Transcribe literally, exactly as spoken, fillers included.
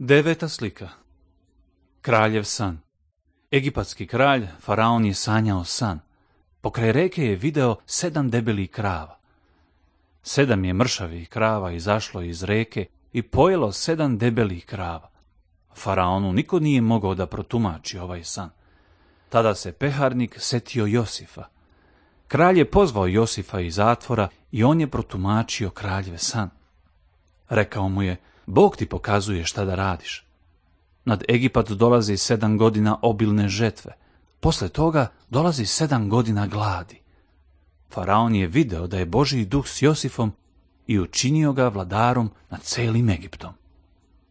Deveta slika. Kraljev san. Egipatski kralj, faraon, je sanjao san. Pokraj reke je video sedam debelih krava. Sedam je mršavih krava izašlo iz reke i pojelo sedam debelih krava. Faraonu niko nije mogao da protumači ovaj san. Tada se peharnik setio Josifa. Kralj je pozvao Josifa iz zatvora i on je protumačio kraljev san. Rekao mu je: Bog ti pokazuje šta da radiš. Nad Egipat dolazi sedam godina obilne žetve. Posle toga dolazi sedam godina gladi. Faraon je video da je Božji duh s Josifom i učinio ga vladarom nad celim Egiptom.